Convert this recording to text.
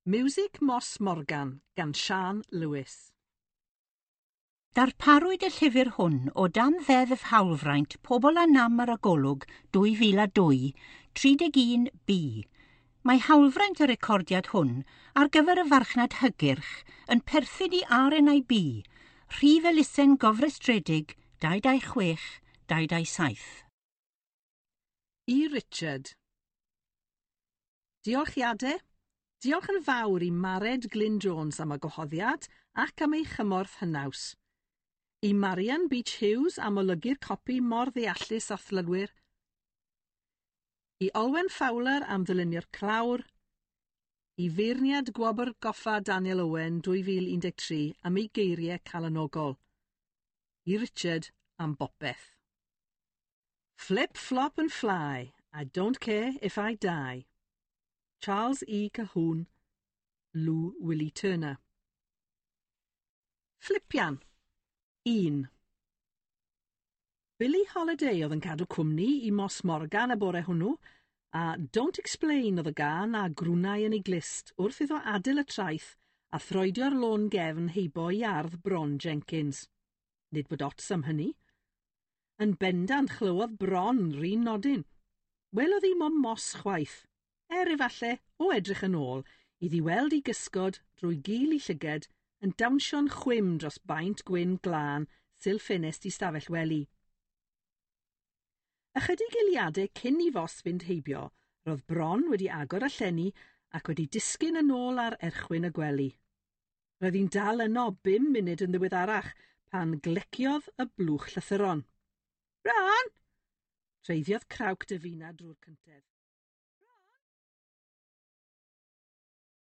Miwsig Moss Morgan gan Siân Lewis. Darparwyd y llyfr hwn o dan Ddeddf Hawlfraint Pobl â Nam ar y Golwg 2002, 31B. Mae hawlfraint y recordiad hwn ar gyfer y farchnad hygyrch yn perthyn i RNIB, rhif elusen gofrestredig 226 227. I Richard. Diolchiadau. Diolch yn fawr i Mared Glyn Jones am y gwahoddiad ac am ei chymorth hynaws. I Marian Beach Hughes am olygu'r copi mor ddeallus a thlylwyr. I Olwen Fowler am ddylunio'r clawr. I feirniad Gwobr Goffa Daniel Owen 2013 am ei geiriau calonogol. I Richard am bopeth. Flip, flop and fly, I don't care if I die. Charles E. Colquhoun, Lou Willie Turner. Fflipian. 1. Billie Holiday oedd yn cadw cwmni i Moss Morgan y bore hwnnw, a Don't Explain oedd y gân a grwnai yn ei glust wrth iddo adael y traeth a throedio'r lôn gefn heibo i ardd Bron Jenkins. Nid bod ots am hynny. Yn bendant chlywodd Bron 'run nodyn. Welodd hi mo'm Moss chwaith, er efalle, o edrych yn ôl, iddi weld ei gysgod drwy gil ei llyged yn dawnsio'n chwim dros baent gwyn glân sil ffenest ei stafell wely. Ychydig eiliadau cyn i Foss fynd heibio, roedd Bron wedi agor y llenni ac wedi disgyn yn ôl ar erchwyn y gwely. Roedd hi'n dal yno bum munud yn ddiweddarach pan gleciodd y blwch llythyron. Bron! Treiddiodd crawc Davina drwy'r cyntedd.